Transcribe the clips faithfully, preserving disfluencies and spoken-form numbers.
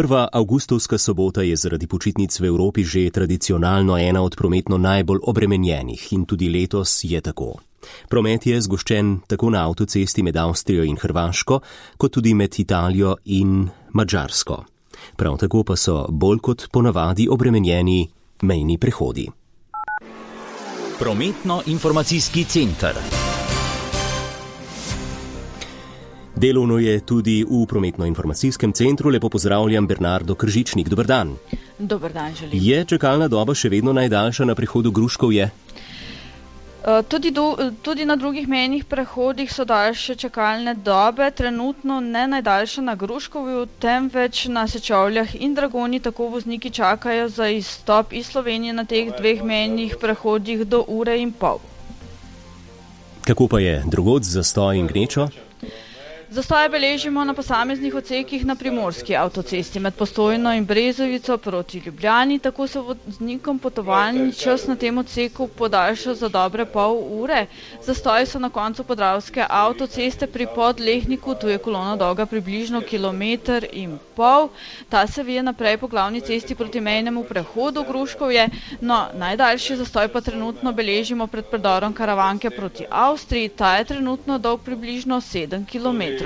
Prva avgustovska sobota je zaradi počitnic v Evropi že tradicionalno ena od prometno najbolj obremenjenih in tudi letos je tako. Promet je zgoščen tako na avtocesti med Avstrijo in Hrvaško, kot tudi med Italijo in Madžarsko. Prav tako pa so bolj kot ponavadi obremenjeni mejni prehodi. Prometno-informacijski center. Delovno je tudi v prometno-informacijskem centru. Lepo pozdravljam Bernardo Kržičnik. Dober dan. Dober dan, želim. Je čakalna doba še vedno najdaljša na prehodu Gruškovje? Tudi, do, tudi na drugih mejnih prehodih so daljše čakalne dobe, trenutno ne najdaljša na Gruškovju, temveč na Sečovljah in Dragoni, tako vozniki čakajo za izstop iz Slovenije na teh dveh mejnih prehodih do ure in pol. Kako pa je drugod z zastoj in gnečo? Zastoje beležimo na posameznih odsekih na primorski avtocesti med Postojno in Brezovico proti Ljubljani, tako se voznikom potovalni čas na tem odseku podaljša za dobre pol ure. Zastoji so na koncu podravske avtoceste pri Podlehniku, tu je kolona dolga približno kilometer in pol. Ta se vije naprej po glavni cesti proti mejnemu prehodu Gruškovje, no najdaljši zastoj pa trenutno beležimo pred predorom Karavanke proti Avstriji, ta je trenutno dolg približno sedem kilometrov.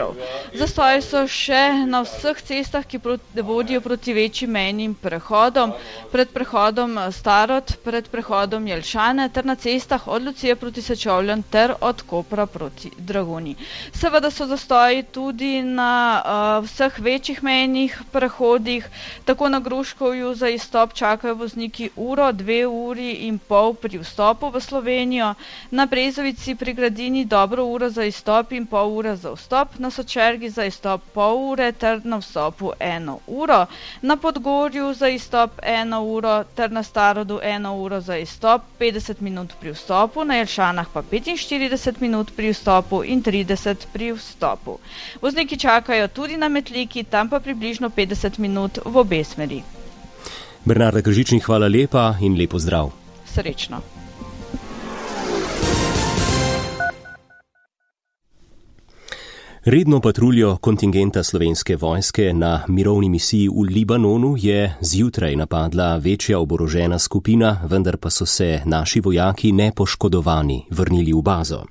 Zastoji so še na vseh cestah, ki vodijo proti večjim mejnim prehodom, pred prehodom Starod, pred prehodom Jelšane ter na cestah od Lucije proti Sečovljam ter od Kopra proti Dragoni. Seveda so zastoji tudi na uh, vseh večjih mejnih prehodih, tako na Gruškovju za izstop čakajo vozniki uro, dve uri in pol pri vstopu v Slovenijo, na Brezovici pri Gradini dobro uro za izstop in pol ure za vstop, na Sočergi za izstop pol ure ter na vstopu eno uro, na Podgorju za izstop eno uro ter na Starodu eno uro za izstop, petdeset minut pri vstopu, na Jelšanah pa petinštirideset minut pri vstopu in trideset pri vstopu. Vozniki čakajo tudi na Metliki, tam pa približno petdeset minut v obe smeri. Bernarda Kržičnik, hvala lepa in lepo zdrav. Srečno. Redno patruljo kontingenta Slovenske vojske na mirovni misiji v Libanonu je zjutraj napadla večja oborožena skupina, vendar pa so se naši vojaki nepoškodovani vrnili v bazo.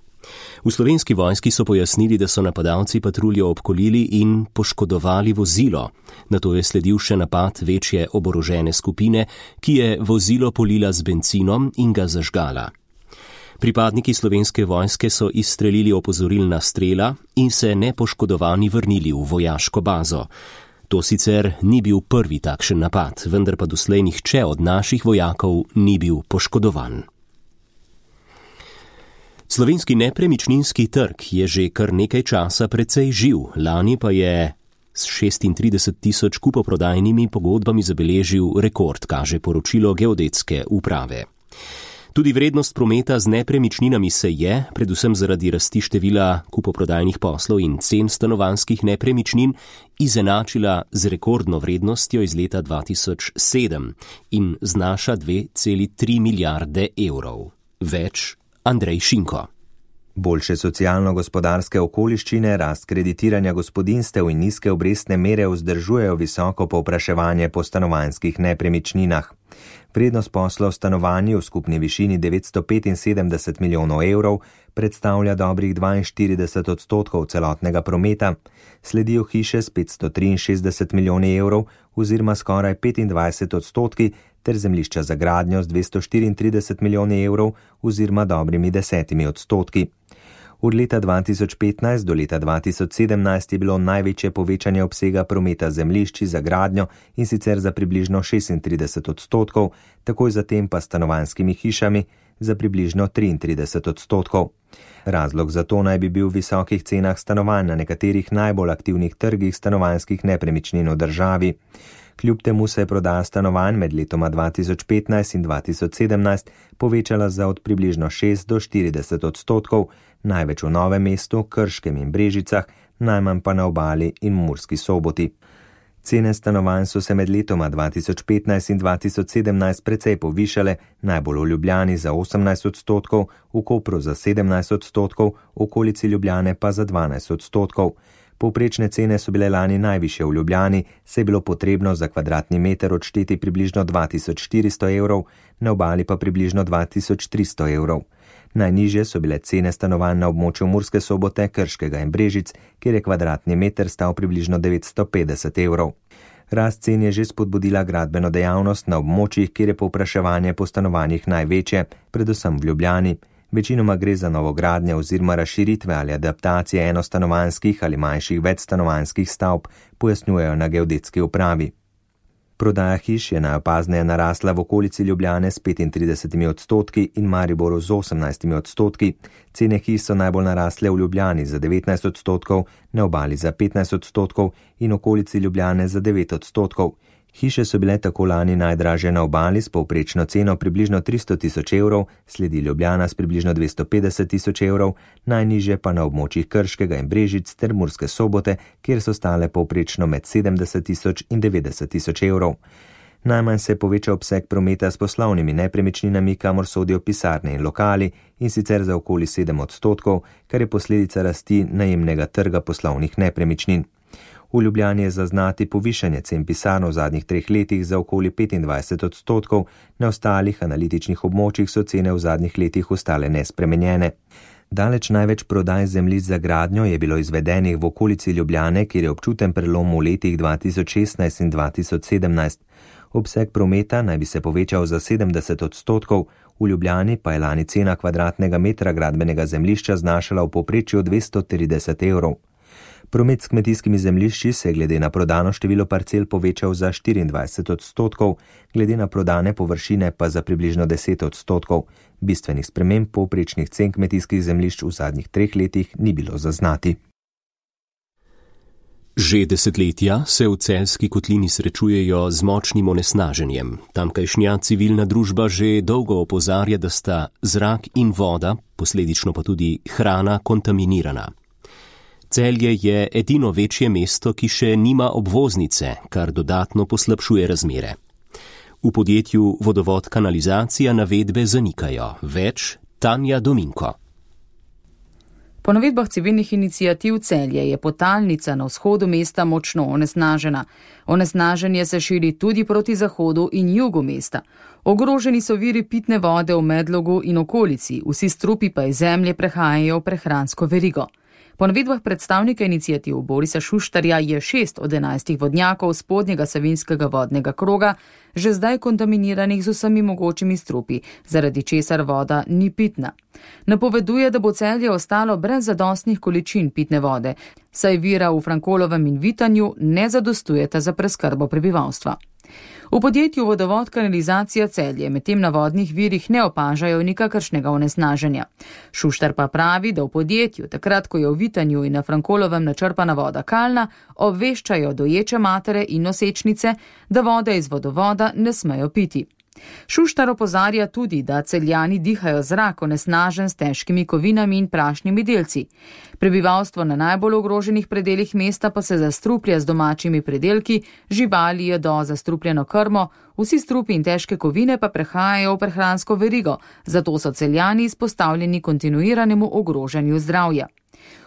V Slovenski vojski so pojasnili, da so napadalci patruljo obkolili in poškodovali vozilo. Nato je sledil še napad večje oborožene skupine, ki je vozilo polila z bencinom in ga zažgala. Pripadniki Slovenske vojske so izstrelili opozorilna strela in se nepoškodovani vrnili v vojaško bazo. To sicer ni bil prvi takšen napad, vendar pa doslej nihče od naših vojakov ni bil poškodovan. Slovenski nepremičninski trg je že kar nekaj časa precej živ, lani pa je s šestintrideset tisoč kupoprodajnimi pogodbami zabeležil rekord, kaže poročilo Geodetske uprave. Tudi vrednost prometa z nepremičninami se je, predvsem zaradi rasti števila kupoprodajnih poslov in cen stanovanjskih nepremičnin, izenačila z rekordno vrednostjo iz leta dva tisoč sedem in znaša dve celi tri milijarde evrov. Več Andrej Šinko. Boljše socialno-gospodarske okoliščine, rast kreditiranja gospodinjstev in nizke obrestne mere vzdržujejo visoko povpraševanje po stanovanjskih nepremičninah. Vrednost poslov v stanovanju v skupni višini devetsto petinsedemdeset milijonov evrov predstavlja dobrih dvainštirideset odstotkov celotnega prometa, sledijo hiše s petsto triinšestdeset milijoni evrov oziroma skoraj petindvajset odstotki ter zemljišča za gradnjo z dvesto štiriintrideset milijoni evrov oziroma dobrimi desetimi odstotki. Od leta dva tisoč petnajst do leta dva tisoč sedemnajst je bilo največje povečanje obsega prometa zemljišči za gradnjo in sicer za približno šestintrideset odstotkov, takoj zatem pa stanovanjskimi hišami za približno triintrideset odstotkov. Razlog za to naj bi bil v visokih cenah stanovanj na nekaterih najbolj aktivnih trgih stanovanjskih nepremičnin v državi. Kljub temu se je prodaja stanovanj med letoma dva tisoč petnajst in dva tisoč sedemnajst povečala za od približno šest do štirideset odstotkov, največ v Novem mestu, Krškem in Brežicah, najmanj pa na Obali in Murski Soboti. Cene stanovanj so se med letoma dva tisoč petnajst in dva tisoč sedemnajst precej povišale, najbolj v Ljubljani za osemnajst odstotkov, v Kopru za sedemnajst odstotkov, v okolici Ljubljane pa za dvanajst odstotkov. Povprečne cene so bile lani najvišje v Ljubljani, se je bilo potrebno za kvadratni meter odšteti približno dva tisoč štiristo evrov, na obali pa približno dva tisoč tristo evrov. Najnižje so bile cene stanovanj na območju Murske Sobote, Krškega in Brežic, kjer je kvadratni meter stal približno devetsto petdeset evrov. Rast cen je že spodbudila gradbeno dejavnost na območjih, kjer je povpraševanje po stanovanjih največje, predvsem v Ljubljani. Večinoma gre za novogradnje oziroma razširitve ali adaptacije enostanovanjskih ali manjših večstanovanjskih stavb, pojasnjujejo na geodetski upravi. Prodaja hiš je najopazneje narasla v okolici Ljubljane s petintridesetimi odstotki in Mariboru z osemnajstimi odstotki. Cene hiš so najbolj narasle v Ljubljani za devetnajst odstotkov, na obali za petnajst odstotkov in okolici Ljubljane za devet odstotkov. Hiše so bile tako lani najdražje na obali s povprečno ceno približno tristo tisoč evrov, sledi Ljubljana s približno dvesto petdeset tisoč evrov, najnižje pa na območjih Krškega in Brežic ter Murske Sobote, kjer so stale povprečno med sedemdeset tisoč in devetdeset tisoč evrov. Najmanj se je povečal obseg prometa s poslovnimi nepremičninami, kamor sodijo pisarne in lokali, in sicer za okoli sedem odstotkov, kar je posledica rasti najemnega trga poslovnih nepremičnin. V Ljubljani je zaznati povišanje cen pisarn v zadnjih treh letih za okoli petindvajset odstotkov, na ostalih analitičnih območjih so cene v zadnjih letih ostale nespremenjene. Daleč največ prodaj zemljišč za gradnjo je bilo izvedenih v okolici Ljubljane, kjer je občuten prelom v letih dva tisoč šestnajst in dva tisoč sedemnajst. Obseg prometa naj bi se povečal za sedemdeset odstotkov, v Ljubljani pa je lani cena kvadratnega metra gradbenega zemljišča znašala v povprečju dvesto trideset evrov. Promet s kmetijskimi zemljišči se je glede na prodano število parcel povečal za štiriindvajset odstotkov, glede na prodane površine pa za približno deset odstotkov. Bistvenih sprememb povprečnih cen kmetijskih zemljišč v zadnjih treh letih ni bilo zaznati. Že desetletja se v Celjski kotlini srečujejo z močnim onesnaženjem. Tamkajšnja civilna družba že dolgo opozarja, da sta zrak in voda, posledično pa tudi hrana, kontaminirana. Celje je edino večje mesto, ki še nima obvoznice, kar dodatno poslabšuje razmere. V podjetju Vodovod kanalizacija navedbe zanikajo. Več Tanja Dominko. Po navedbah civilnih iniciativ Celje je potalnica na vzhodu mesta močno onesnažena. Onesnaženje se širi tudi proti zahodu in jugu mesta. Ogroženi so viri pitne vode v Medlogu in okolici, vsi strupi pa iz zemlje prehajajo v prehransko verigo. Po navedbah predstavnika iniciativ Borisa Šuštarja je šest od enajstih vodnjakov spodnjega savinjskega vodnega kroga že zdaj kontaminiranih z vsemi mogočimi strupi, zaradi česar voda ni pitna. Napoveduje, da bo Celje ostalo brez zadostnih količin pitne vode, saj vira v Frankolovem in Vitanju ne zadostujeta za preskrbo prebivalstva. V podjetju Vodovod kanalizacija Celje medtem na vodnih virih ne opažajo nikakršnega onesnaženja. Šuštar pa pravi, da v podjetju, takrat ko je v Vitanju in na Frankolovem načrpana voda kalna, obveščajo doječe matere in nosečnice, da vode iz vodovoda ne smejo piti. Šuštar opozarja tudi, da Celjani dihajo zrak onesnažen s težkimi kovinami in prašnimi delci. Prebivalstvo na najbolj ogroženih predelih mesta pa se zastruplja z domačimi predelki, živali jedo zastrupljeno krmo, vsi strupi in težke kovine pa prehajajo v prehransko verigo, zato so Celjani izpostavljeni kontinuiranemu ogrožanju zdravja.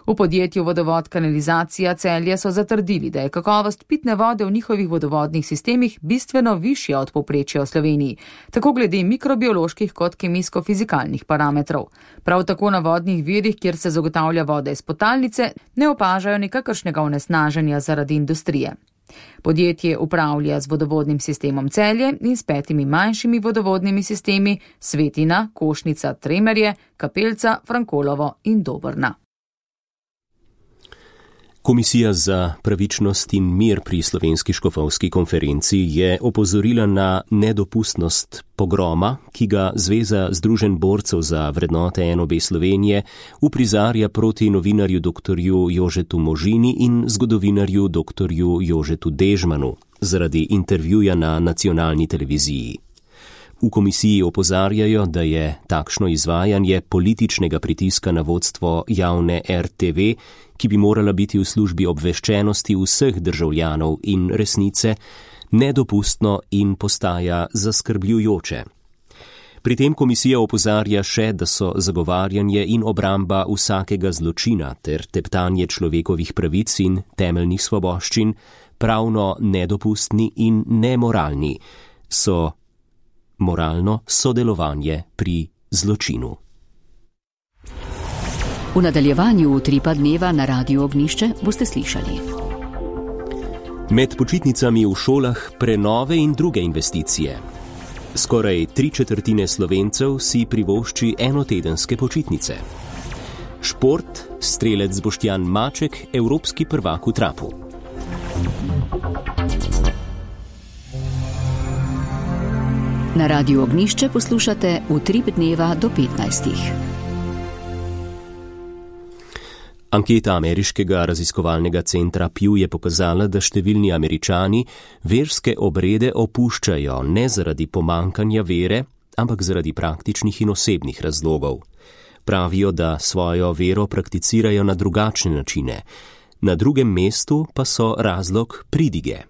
V podjetju Vodovod kanalizacija Celje so zatrdili, da je kakovost pitne vode v njihovih vodovodnih sistemih bistveno višja od povprečja v Sloveniji, tako glede mikrobioloških kot kemijsko-fizikalnih parametrov. Prav tako na vodnih virih, kjer se zagotavlja voda iz potalnice, ne opažajo nikakršnega onesnaženja zaradi industrije. Podjetje upravlja z vodovodnim sistemom Celje in s petimi manjšimi vodovodnimi sistemi Svetina, Košnica, Tremerje, Kapelca, Frankolovo in Dobrna. Komisija za pravičnost in mir pri Slovenski škofovski konferenci je opozorila na nedopustnost pogroma, ki ga Zveza združenj borcev za vrednote N O B Slovenije uprizarja proti novinarju doktorju Jožetu Možini in zgodovinarju doktorju Jožetu Dežmanu zaradi intervjuja na nacionalni televiziji. V komisiji opozarjajo, da je takšno izvajanje političnega pritiska na vodstvo javne R T V, ki bi morala biti v službi obveščenosti vseh državljanov in resnice, nedopustno in postaja zaskrbljujoče. Pri tem komisija opozarja še, da so zagovarjanje in obramba vsakega zločina ter teptanje človekovih pravic in temeljnih svoboščin pravno nedopustni in nemoralni, so moralno sodelovanje pri zločinu. V nadaljevanju utripa dneva na Radiu Ognjišče boste slišali. Med počitnicami v šolah prenove in druge investicije. Skoraj tri četrtine Slovencev si privošči enotedenske počitnice. Šport, strelec Boštjan Maček, evropski prvak v trapu. Na Radiu Ognjišče poslušate Utrip dneva do petnajstih. Anketa ameriškega raziskovalnega centra Pew je pokazala, da številni Američani verske obrede opuščajo ne zaradi pomankanja vere, ampak zaradi praktičnih in osebnih razlogov. Pravijo, da svojo vero prakticirajo na drugačne načine. Na drugem mestu pa so razlog pridige.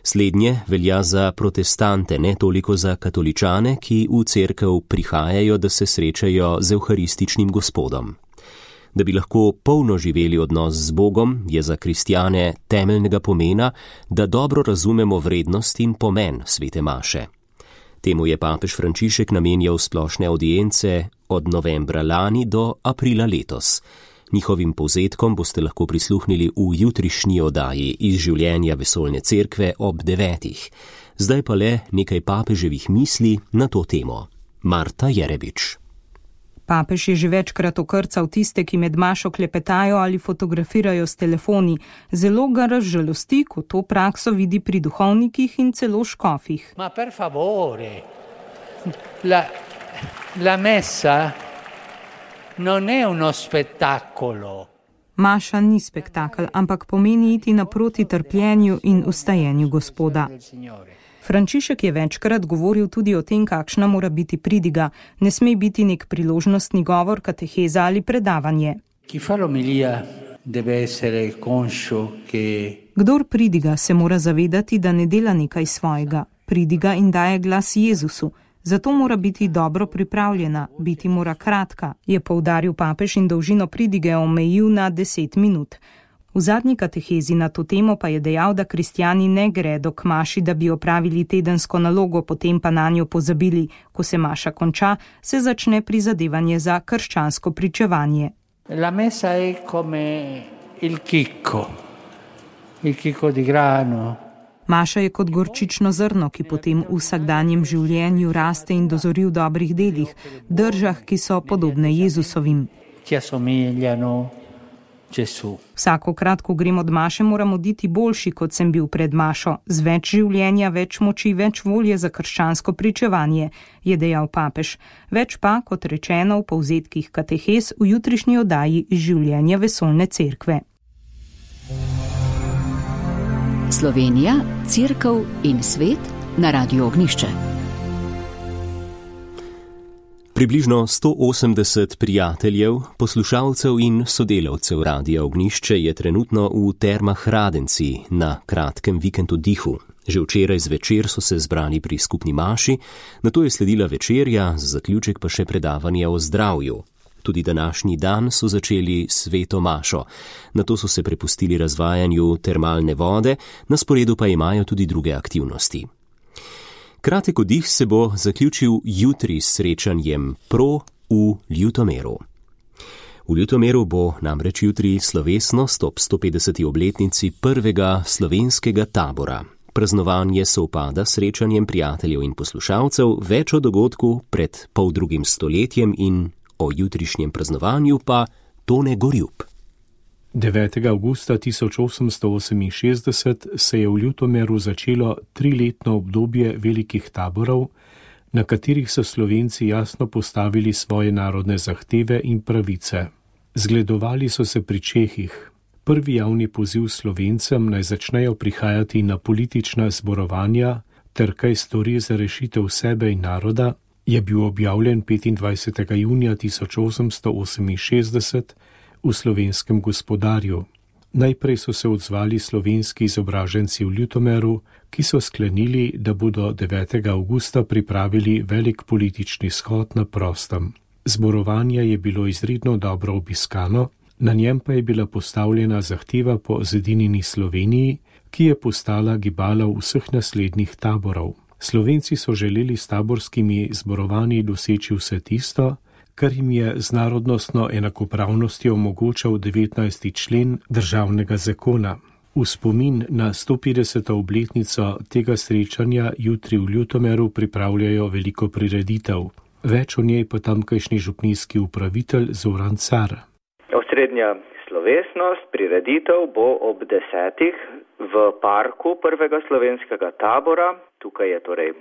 Slednje velja za protestante, ne toliko za katoličane, ki v cerkev prihajajo, da se srečajo z evharističnim gospodom. Da bi lahko polno živeli odnos z Bogom, je za kristjane temeljnega pomena, da dobro razumemo vrednost in pomen svete maše. Temu je papež Frančišek namenjal splošne audience od novembra lani do aprila letos. Njihovim povzetkom boste lahko prisluhnili v jutrišnji oddaji iz življenja Vesoljne cerkve ob devetih. Zdaj pa le nekaj papeževih misli na to temo. Marta Jerebič. Papež je že večkrat okrcal tiste, ki med mašo klepetajo ali fotografirajo s telefoni. Zelo ga razžalosti, ko to prakso vidi pri duhovnikih in celo škofih. Ma per favore, la, la messa non è uno spettacolo. Maša ni spektakel, ampak pomeni iti naproti trpljenju in ustajenju Gospoda. Frančišek je večkrat govoril tudi o tem, kakšna mora biti pridiga. Ne sme biti nek priložnostni govor, kateheza ali predavanje. Kdor pridiga, se mora zavedati, da ne dela nekaj svojega. Pridiga in daje glas Jezusu. Zato mora biti dobro pripravljena, biti mora kratka, je poudaril papež in dolžino pridige omejil na deset minut. V zadnji katehezi na to temo pa je dejal, da kristjani ne gredo k maši, da bi opravili tedensko nalogo, potem pa na njo pozabili. Ko se maša konča, se začne prizadevanje za krščansko pričevanje. La messa è come il chicco, il chicco di grano. Maša je kot gorčično zrno, ki potem v vsakdanjem življenju raste in dozori v dobrih delih, držah, ki so podobne Jezusovim. Ki assomigliano Gesù. Vsakokrat, ko grem od maše, moram oditi boljši, kot sem bil pred mašo, z več življenja, več moči, več volje za krščansko pričevanje, je dejal papež. Več pa, kot rečeno v povzetkih katehez, v jutrišnji oddaji iz življenja Vesoljne cerkve. Slovenija, cerkev in svet na Radiu Ognjišče. Približno sto osemdeset prijateljev, poslušalcev in sodelavcev Radia Ognjišče je trenutno v Termah Radenci na kratkem vikendu dihu. Že včeraj zvečer so se zbrali pri skupni maši, nato je sledila večerja, za zaključek pa še predavanje o zdravju. Tudi današnji dan so začeli sveto mašo, nato so se prepustili razvajanju termalne vode, na sporedu pa imajo tudi druge aktivnosti. Kratek oddih se bo zaključil jutri s srečanjem Pro v Ljutomeru. V Ljutomeru bo namreč jutri slovesnost ob sto petdeseti obletnici prvega slovenskega tabora. Praznovanje sovpada s srečanjem prijateljev in poslušalcev, več o dogodku pred poldrugim stoletjem in o jutrišnjem praznovanju pa Tone Gorjup. devetega avgusta tisoč osemsto oseminšestdeset se je v Ljutomeru začelo triletno obdobje velikih taborov, na katerih so Slovenci jasno postavili svoje narodne zahteve in pravice. Zgledovali so se pri Čehih. Prvi javni poziv Slovencem naj začnejo prihajati na politična zborovanja ter kaj stori za rešitev sebe in naroda, je bil objavljen petindvajsetega junija tisoč osemsto oseminšestdeset v Slovenskem gospodarju. Najprej so se odzvali slovenski izobraženci v Ljutomeru, ki so sklenili, da bodo devetega avgusta pripravili velik politični shod na prostem. Zborovanje je bilo izredno dobro obiskano, na njem pa je bila postavljena zahteva po zedinjeni Sloveniji, ki je postala gibala vseh naslednjih taborov. Slovenci so želeli s taborskimi zborovanji doseči vse tisto, kar jim je z narodnostno enakopravnostjo omogočal devetnajsti člen državnega zakona. V spomin na sto petdeseto obletnico tega srečanja jutri v Ljutomeru pripravljajo veliko prireditev. Več o njej pa tamkajšnji župnijski upravitelj Zoran Car. Osrednja slovesnost prireditev bo ob desetih v parku prvega slovenskega tabora. Tukaj je torej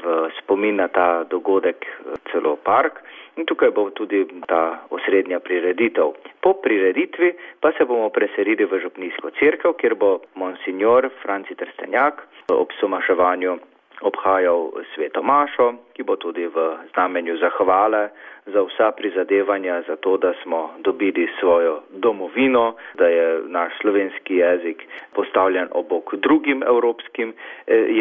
v spomin na ta dogodek celo park in tukaj bo tudi ta osrednja prireditev. Po prireditvi pa se bomo preselili v župnijsko cerkev, kjer bo monsignor Franci Trstenjak ob somaševanju obhajal sveto mašo, ki bo tudi v znamenju zahvale za vsa prizadevanja za to, da smo dobili svojo domovino, da je naš slovenski jezik postavljen ob bok drugim evropskim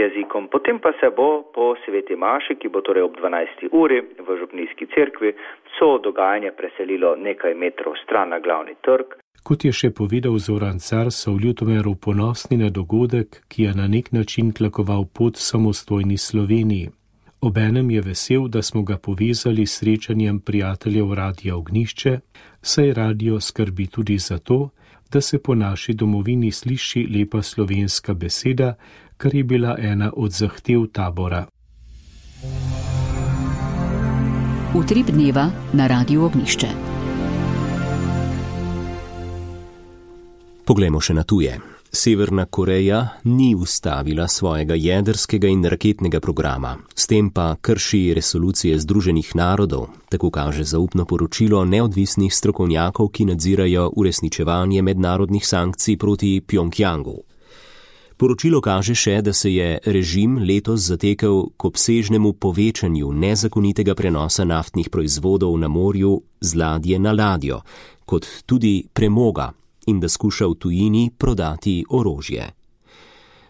jezikom. Potem pa se bo po sveti maši, ki bo torej ob dvanajsti uri v župnijski cerkvi, vso dogajanje preselilo nekaj metrov stran na glavni trg. Kot je še povedal Zoran Car, so v Ljutomeru ponosni na dogodek, ki je na nek način tlakoval pot samostojni Sloveniji. Obenem je vesel, da smo ga povezali s srečanjem prijateljev Radia Ognjišče, saj radio skrbi tudi za to, da se po naši domovini sliši lepa slovenska beseda, kar je bila ena od zahtev tabora. Utrip dneva na Radiu Ognjišče. Poglejmo še na tuje. Severna Koreja ni ustavila svojega jedrskega in raketnega programa, s tem pa krši resolucije Združenih narodov, tako kaže zaupno poročilo neodvisnih strokovnjakov, ki nadzirajo uresničevanje mednarodnih sankcij proti Pjongjangu. Poročilo kaže še, da se je režim letos zatekel k obsežnemu povečanju nezakonitega prenosa naftnih proizvodov na morju z ladje na ladjo, kot tudi premoga, in da skuša v tujini prodati orožje.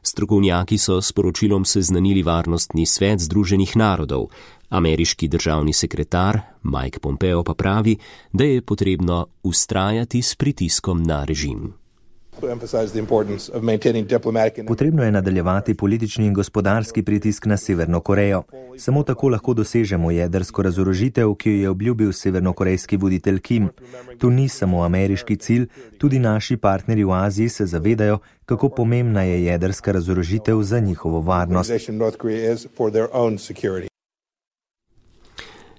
Strokovnjaki so s poročilom seznanili Varnostni svet Združenih narodov. Ameriški državni sekretar Mike Pompeo pa pravi, da je potrebno vztrajati s pritiskom na režim. Potrebno je nadaljevati politični in gospodarski pritisk na Severno Korejo. Samo tako lahko dosežemo jedrsko razorožitev, ki jo je obljubil severnokorejski voditelj Kim. To ni samo ameriški cilj, tudi naši partnerji v Aziji se zavedajo, kako pomembna je jedrska razorožitev za njihovo varnost.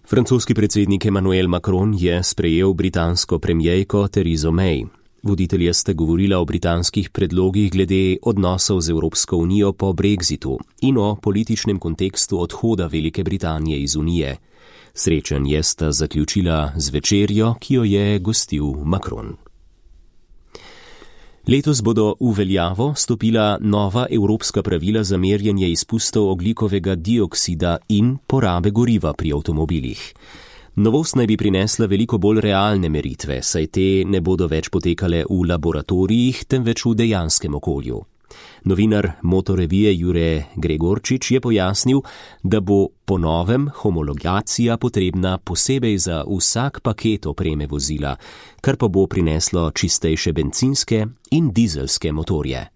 Francoski predsednik Emmanuel Macron je sprejel britansko premierko Theresa May. Voditelja sta govorila o britanskih predlogih glede odnosov z Evropsko unijo po Brexitu in o političnem kontekstu odhoda Velike Britanije iz Unije. Srečanje sta zaključila z večerjo, ki jo je gostil Macron. Letos bodo v veljavo stopila nova evropska pravila za merjenje izpustov ogljikovega dioksida in porabe goriva pri avtomobilih. Novost naj bi prinesla veliko bolj realne meritve, saj te ne bodo več potekale v laboratorijih, temveč v dejanskem okolju. Novinar Motorevije Jure Gregorčič je pojasnil, da bo po novem homologacija potrebna posebej za vsak paket opreme vozila, kar pa bo prineslo čistejše bencinske in dizelske motorje.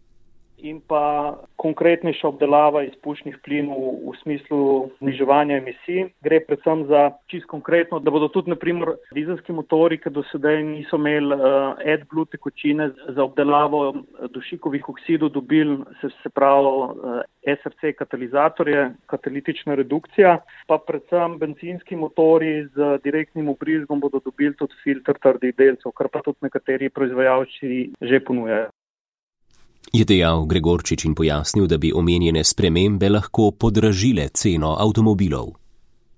In pa konkretnejša obdelava izpušnih plinov v smislu zniževanja emisij. Gre predvsem za čisto konkretno, da bodo tudi naprimer dizelski motori, ki do sedaj niso imeli uh, AdBlue tekočine za obdelavo dušikovih oksidov, dobili se, se pravi uh, S R C katalizatorje, katalitična redukcija, pa predvsem bencinski motori z direktnim vbrizgom bodo dobili tudi filter trdih delcev, kar pa tudi nekateri proizvajalci že ponujajo. Je dejal Gregorčič in pojasnil, da bi omenjene spremembe lahko podražile ceno avtomobilov.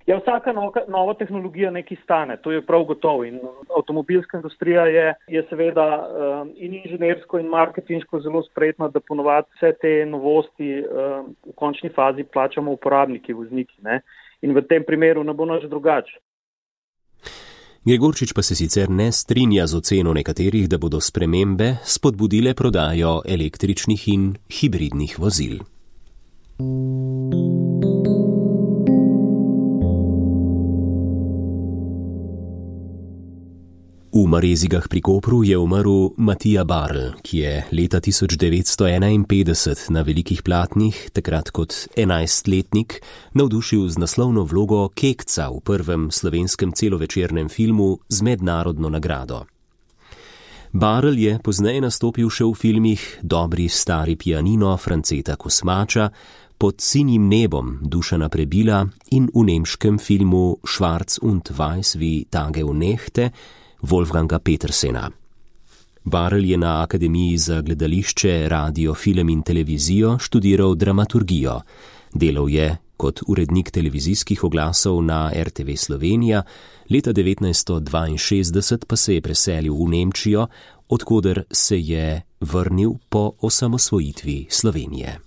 Ja, vsaka nova, nova tehnologija nekaj stane, to je prav gotovo. In avtomobilska industrija je, je seveda um, in inženirsko in marketinško zelo spretna, da ponovadi vse te novosti um, v končni fazi plačamo uporabniki, vozniki. Ne? In v tem primeru ne bo nič drugače. Gregorčič pa se sicer ne strinja z oceno nekaterih, da bodo spremembe spodbudile prodajo električnih in hibridnih vozil. V Marezigah pri Kopru je umrl Matija Barl, ki je leta tisoč devetsto enainpetdeset na velikih platnih, takrat kot enajstletnik, navdušil z naslovno vlogo Kekca v prvem slovenskem celovečernem filmu z mednarodno nagrado. Barl je pozneje nastopil še v filmih Dobri stari pianino Franceta Kosmača, Pod sinjim nebom Dušana Prebila in v nemškem filmu Schwarz und Weiß wie Tage und Nächte Wolfganga Petersena. Barl je na Akademiji za gledališče, radio, film in televizijo študiral dramaturgijo. Delal je kot urednik televizijskih oglasov na er te ve Slovenija, leta devetnajststo dvainšestdeset pa se je preselil v Nemčijo, od koder se je vrnil po osamosvojitvi Slovenije.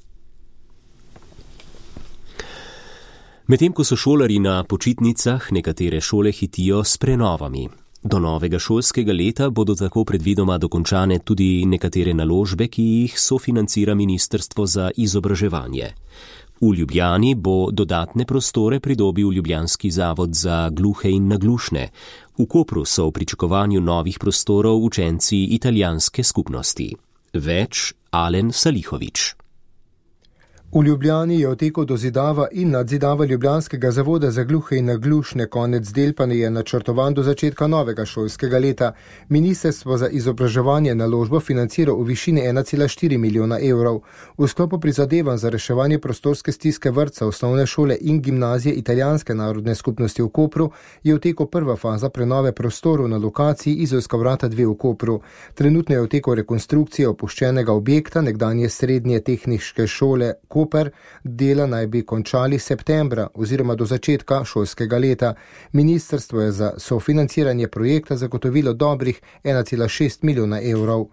Medtem ko so šolarji na počitnicah, nekatere šole hitijo s prenovami. Do novega šolskega leta bodo tako predvidoma dokončane tudi nekatere naložbe, ki jih sofinancira Ministrstvo za izobraževanje. V Ljubljani bo dodatne prostore pridobil Ljubljanski zavod za gluhe in naglušne. V Kopru so v pričakovanju novih prostorov učenci italijanske skupnosti. Več Alen Salihovič. V Ljubljani je v teku dozidava in nadzidava Ljubljanskega zavoda za gluhe in naglušne, konec del pa je načrtovan do začetka novega šolskega leta. Ministrstvo za izobraževanje naložbo financira v višini ena cela štiri milijona evrov. V sklopu prizadevanj za reševanje prostorske stiske vrtca, osnovne šole in gimnazije italijanske narodne skupnosti v Kopru je v teku prva faza prenove prostorov na lokaciji Izolska vrata dve v Kopru. Trenutno je v teku rekonstrukcije opuščenega objekta nekdanje srednje tehniške šole Koper, dela naj bi končali septembra oziroma do začetka šolskega leta. Ministrstvo je za sofinanciranje projekta zagotovilo dobrih ena cela šest milijona evrov.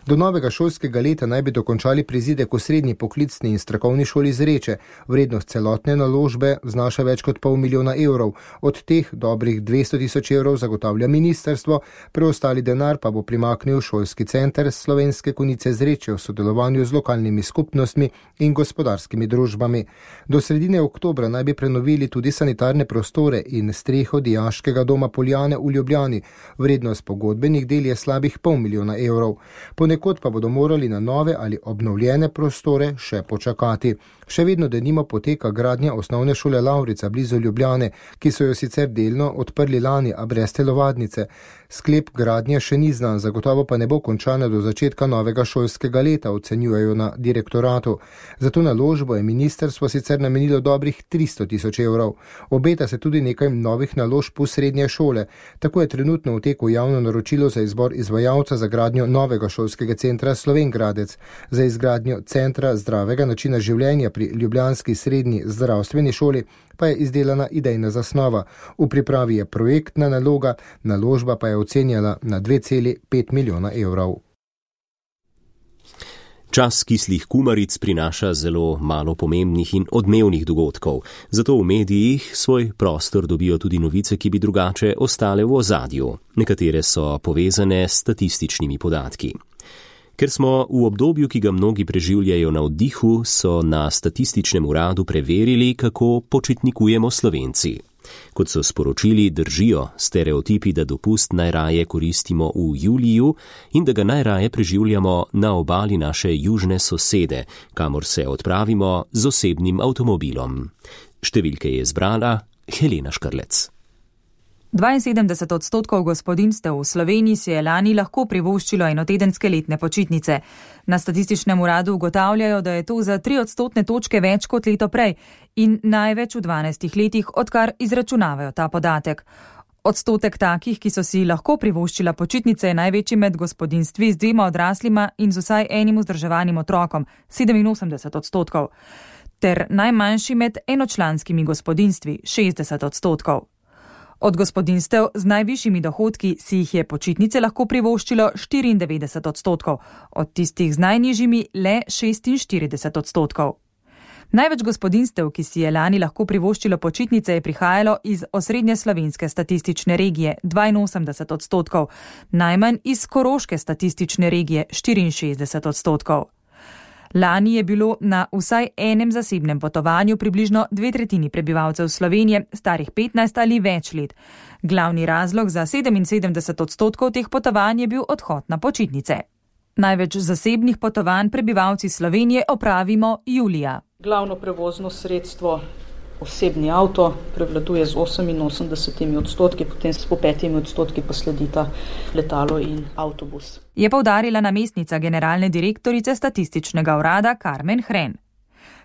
Do novega šolskega leta naj bi dokončali prizidek v srednji poklicni in strokovni šoli Zreče. Vrednost celotne naložbe znaša več kot pol milijona evrov. Od teh dobrih dvesto tisoč evrov zagotavlja ministrstvo, preostali denar pa bo primaknil šolski center Slovenske Konjice Zreče v sodelovanju z lokalnimi skupnostmi in gospodarskimi družbami. Do sredine oktobra naj bi prenovili tudi sanitarne prostore in streho dijaškega doma Poljane v Ljubljani. Vrednost pogodbenih del je slabih pol milijona evrov. Ponekod pa bodo morali na nove ali obnovljene prostore še počakati. Še vedno denimo poteka gradnja osnovne šole Lavrica blizu Ljubljane, ki so jo sicer delno odprli lani, a brez telovadnice. Sklep gradnje še ni znan, zagotovo pa ne bo končana do začetka novega šolskega leta, ocenjujejo na direktoratu. Zato naložbo je ministrstvo sicer namenilo dobrih tristo tisoč evrov. Obeta se tudi nekaj novih naložb v srednje šole. Tako je trenutno v teku javno naročilo za izbor izvajalca za gradnjo novega šolskega centra Slovengradec. Za izgradnjo centra zdravega načina življenja pri ljubljanski srednji zdravstveni šoli pa je izdelana idejna zasnova. V pripravi je projektna naloga, naložba pa je ocenjala na dve celi pet milijona evrov. Čas kislih kumaric prinaša zelo malo pomembnih in odmevnih dogodkov, zato v medijih svoj prostor dobijo tudi novice, ki bi drugače ostale v ozadju. Nekatere so povezane s statističnimi podatki. Ker smo v obdobju, ki ga mnogi preživljajo na oddihu, so na statističnem uradu preverili, kako počitnikujemo Slovenci. Kot so sporočili, držijo stereotipi, da dopust najraje koristimo v juliju in da ga najraje preživljamo na obali naše južne sosede, kamor se odpravimo z osebnim avtomobilom. Številke je zbrala Helena Škrlec. dvainsedemdeset odstotkov gospodinjstev v Sloveniji si je lani lahko privoščilo enotedenske letne počitnice. Na statističnem uradu ugotavljajo, da je to za tri odstotne točke več kot leto prej in največ v dvanajstih letih, odkar izračunavajo ta podatek. Odstotek takih, ki so si lahko privoščila počitnice, je največji med gospodinjstvi z dvema odraslima in z vsaj enim vzdrževanim otrokom, sedeminosemdeset odstotkov, ter najmanjši med enočlanskimi gospodinjstvi, šestdeset odstotkov. Od gospodinjstev z najvišjimi dohodki si jih je počitnice lahko privoščilo štiriindevetdeset odstotkov, od tistih z najnižjimi le šestinštirideset odstotkov. Največ gospodinstev, ki si je lani lahko privoščilo počitnice, je prihajalo iz osrednje slovenske statistične regije dvainosemdeset odstotkov, najmanj iz koroške statistične regije štiriinšestdeset odstotkov. Lani je bilo na vsaj enem zasebnem potovanju približno dve tretjini prebivalcev Slovenije starih petnajst ali več let. Glavni razlog za sedeminsedemdeset odstotkov teh potovanj je bil odhod na počitnice. Največ zasebnih potovanj prebivalci Slovenije opravimo julija. Glavno prevozno sredstvo, osebni avto, prevladuje z oseminosemdesetimi odstotki, potem s po petimi odstotki pa sledita letalo in avtobus. Je poudarila namestnica generalne direktorice statističnega urada Karmen Hren.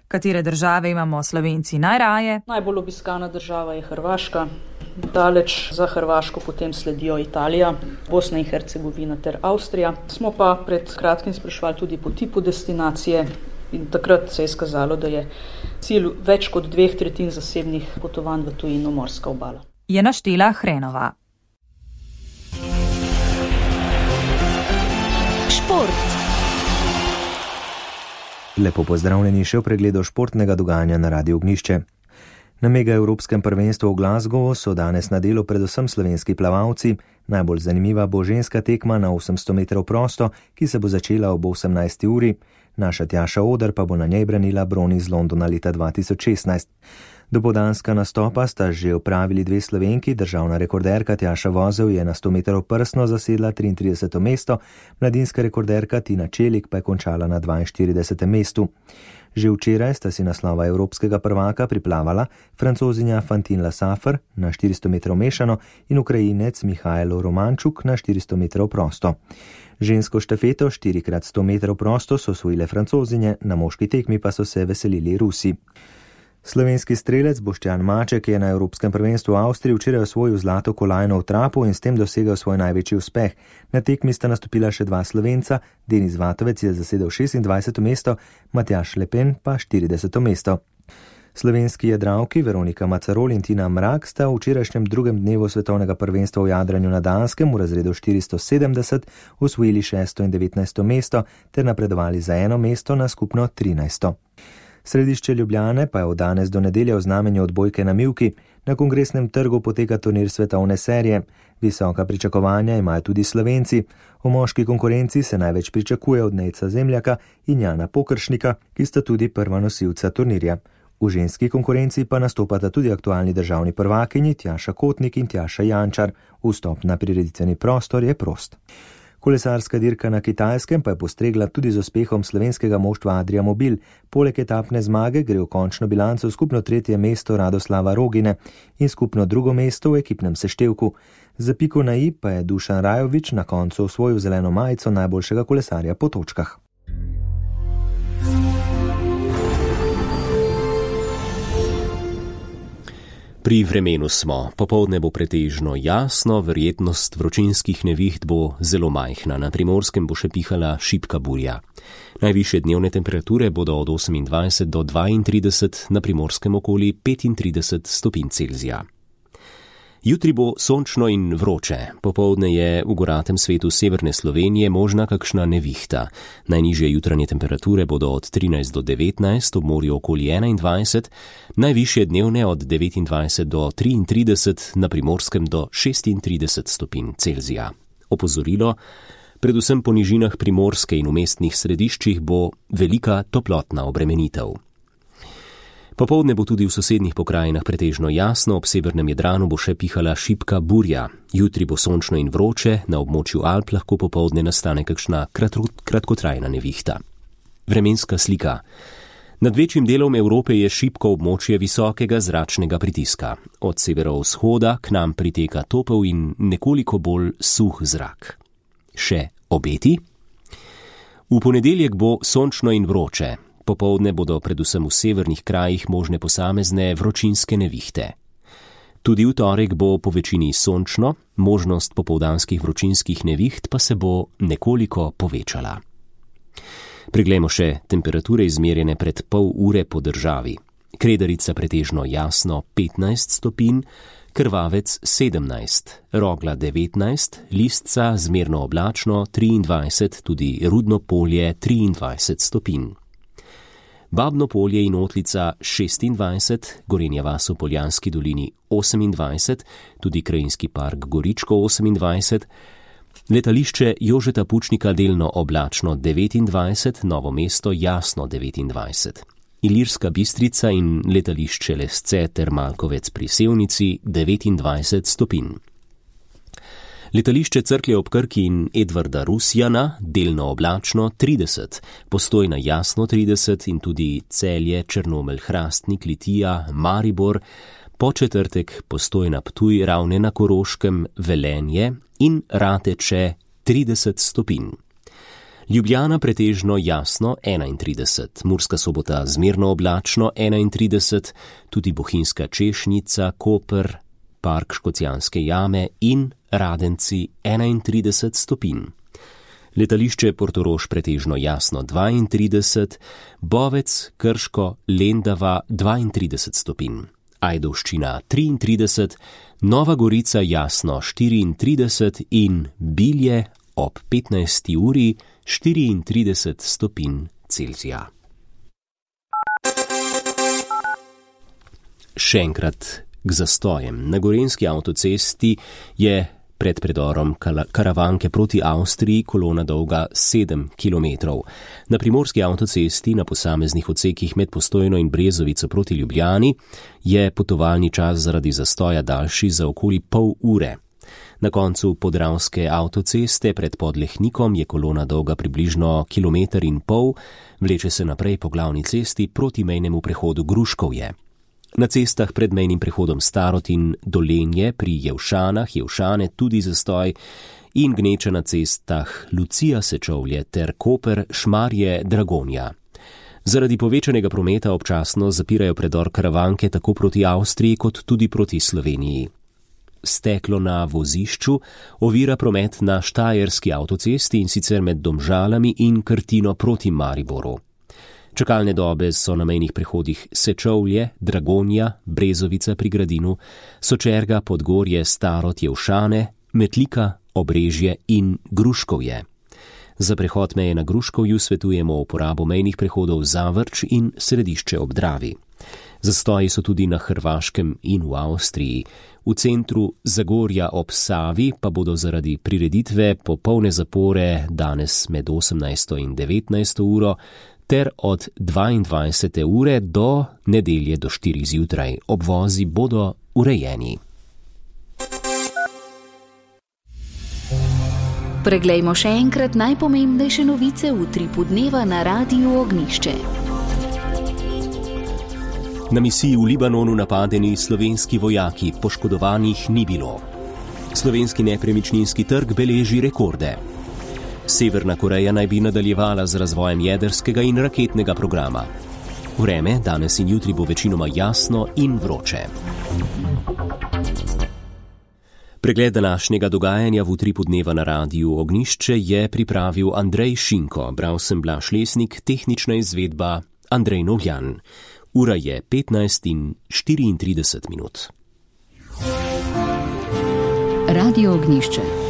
Katere države imamo Slovenci najraje? Najbolj obiskana država je Hrvaška. Daleč za Hrvaško potem sledijo Italija, Bosna in Hercegovina ter Avstrija. Smo pa pred kratkim sprašvali tudi po tipu destinacije in takrat se je izkazalo, da je cilj več kot dveh tretjin zasebnih potovanj v tujino morska obala. Je naštela Hrenova. Šport. Lepo pozdravljeni še v pregledu športnega dogajanja na Radiu Ognjišče. Na mega evropskem prvenstvu v Glasgowu so danes na delu predvsem slovenski plavalci. Najbolj zanimiva bo ženska tekma na osemsto metrov prosto, ki se bo začela ob osemnajsti uri. Naša Tjaša Oder pa bo na njej branila bron iz Londona leta dva tisoč šestnajst. Dopoldanska nastopa sta že opravili dve Slovenki, državna rekorderka Tjaša Vozel je na sto metrov prsno zasedla triintrideseto mesto, mladinska rekorderka Tina Čelik pa je končala na dvainštiridesetem mestu. Že včeraj sta si naslova evropskega prvaka priplavala Francozinja Fantine Lassafer na štiristo metrov mešano in Ukrajinec Mihajlo Romančuk na štiristo metrov prosto. Žensko štafeto štiri krat sto metrov prosto so osvojile Francozinje, na moški tekmi pa so se veselili Rusi. Slovenski strelec Boštjan Maček je na Evropskem prvenstvu v Avstriji včeraj osvojil zlato kolajno v trapu in s tem dosegel svoj največji uspeh. Na tekmi sta nastopila še dva Slovenca, Denis Vatovec je zasedel šestindvajseto mesto, Matjaž Lepen pa štirideseto mesto. Slovenski jadralki Veronika Macarol in Tina Mrak sta v včerajšnjem drugem dnevu svetovnega prvenstva v jadranju na Danskem v razredu štiristo sedemdeset osvojili šesto in devetnajsto mesto ter napredovali za eno mesto na skupno trinajsto. Središče Ljubljane pa je od danes do nedelje v znamenju odbojke na mivki. Na Kongresnem trgu poteka turnir svetovne serije. Visoka pričakovanja imajo tudi Slovenci. V moški konkurenci se največ pričakuje od Nejca Zemljaka in Jana Pokršnika, ki sta tudi prva nosilca turnirja. V ženski konkurenci pa nastopata tudi aktualni državni prvakinji Tjaša Kotnik in Tjaša Jančar. Vstop na prireditveni prostor je prost. Kolesarska dirka na Kitajskem pa je postregla tudi z uspehom slovenskega moštva Adria Mobil. Poleg etapne zmage gre v končno bilanco skupno tretje mesto Radoslava Rogine in skupno drugo mesto v ekipnem seštevku. Za piko na i pa je Dušan Rajovič na koncu osvojil zeleno majico najboljšega kolesarja po točkah. Pri vremenu smo. Popoldne bo pretežno jasno, verjetnost vročinskih neviht bo zelo majhna. Na Primorskem bo še pihala šibka burja. Najvišje dnevne temperature bodo od osemindvajset do dvaintrideset, na Primorskem okoli petintrideset stopinj Celzija. Jutri bo sončno in vroče. Popoldne je v goratem svetu severne Slovenije možna kakšna nevihta. Najnižje jutranje temperature bodo od trinajst do devetnajst, ob morju okoli enaindvajset, najvišje dnevne od devetindvajset do triintrideset, na Primorskem do šestintrideset stopinj Celzija. Opozorilo, predvsem po nižinah Primorske in v mestnih središčih bo velika toplotna obremenitev. Popoldne bo tudi v sosednjih pokrajinah pretežno jasno, ob severnem Jadranu bo še pihala šibka burja. Jutri bo sončno in vroče, na območju Alp lahko popoldne nastane kakšna kratkotrajna nevihta. Vremenska slika. Nad večjim delom Evrope je šibko območje visokega zračnega pritiska. Od severovzhoda k nam priteka topel in nekoliko bolj suh zrak. Še obeti? V ponedeljek bo sončno in vroče. Popoldne bodo predvsem v severnih krajih možne posamezne vročinske nevihte. Tudi v torek bo po večini sončno, možnost popoldanskih vročinskih neviht pa se bo nekoliko povečala. Preglejmo še temperature izmerjene pred pol ure po državi. Kredarica pretežno jasno petnajst stopinj, Krvavec sedemnajst, Rogla devetnajst, Listca zmerno oblačno triindvajset, tudi Rudno polje triindvajset stopinj. Babno Polje in Otlica šestindvajset, Gorenja vas v Poljanski dolini osemindvajset, tudi krajinski park Goričko osemindvajset, letališče Jožeta Pučnika delno oblačno devetindvajset, Novo mesto jasno devetindvajset, Ilirska Bistrica in letališče Lesce ter Malkovec pri Sevnici devetindvajset stopinj. Letališče Cerklje ob Krki in Edvarda Rusjana delno oblačno trideset, Postojna jasno trideset in tudi Celje, Črnomelj, Hrastnik, Litija, Maribor, Početrtek Postojna Ptuj, Ravne na Koroškem, Velenje in Rateče trideset stopinj. Ljubljana pretežno jasno enaintrideset, Murska Sobota zmerno oblačno enaintrideset, tudi Bohinjska Češnica, Koper, Park Škocjanske jame in Radenci enaintrideset stopinj. Letališče Portorož pretežno jasno dvaintrideset, Bovec, Krško, Lendava dvaintrideset stopinj. Ajdovščina triintrideset, Nova Gorica jasno štiriintrideset in Bilje ob petnajsti uri štiriintrideset stopinj Celzija. Še enkrat k zastojem. Na gorenjski avtocesti je pred predorom Karavanke proti Avstriji kolona dolga sedem kilometrov. Na primorski avtocesti na posameznih odsekih med Postojno in Brezovico proti Ljubljani je potovalni čas zaradi zastoja daljši za okoli pol ure. Na koncu podravske avtoceste pred Podlehnikom je kolona dolga približno kilometer in pol, vleče se naprej po glavni cesti proti mejnemu prehodu Gruškovje. Na cestah pred mejnim prehodom Starod in Dolenje pri Jevšanah, Jevšane tudi zastoj in gneča na cestah Lucija Sečovlje ter Koper, Šmarje, Dragonja. Zaradi povečanega prometa občasno zapirajo predor Karavanke tako proti Avstriji kot tudi proti Sloveniji. Steklo na vozišču ovira promet na Štajerski avtocesti in sicer med Domžalami in Krtino proti Mariboru. Čakalne dobe so na mejnih prehodih Sečovlje, Dragonja, Brezovica pri Gradinu, Sočerga, Podgorje, Starod, Jevšane, Metlika, Obrežje in Gruškovje. Za prehod meje na Gruškovju svetujemo uporabo mejnih prehodov Zavrč in Središče ob Dravi. Zastoji so tudi na Hrvaškem in v Avstriji. V centru Zagorja ob Savi pa bodo zaradi prireditve popolne zapore danes med osemnajsto in devetnajsto uro ter od dvaindvajsete ure do nedelje do štirih zjutraj. Obvozi bodo urejeni. Preglejmo še enkrat najpomembnejše novice v utripu dneva na Radiu Ognišče. Na misiji v Libanonu napadeni slovenski vojaki, poškodovanih ni bilo. Slovenski nepremičninski trg beleži rekorde. Severna Koreja naj bi nadaljevala z razvojem jedrskega in raketnega programa. Vreme danes in jutri bo večinoma jasno in vroče. Pregled današnjega dogajanja v utripu dneva na Radiu Ognišče je pripravil Andrej Šinko, bral sem Blaž Lesnik, tehnična izvedba Andrej Novjan. Ura je petnajst in štiriintrideset minut. Radio Ognišče.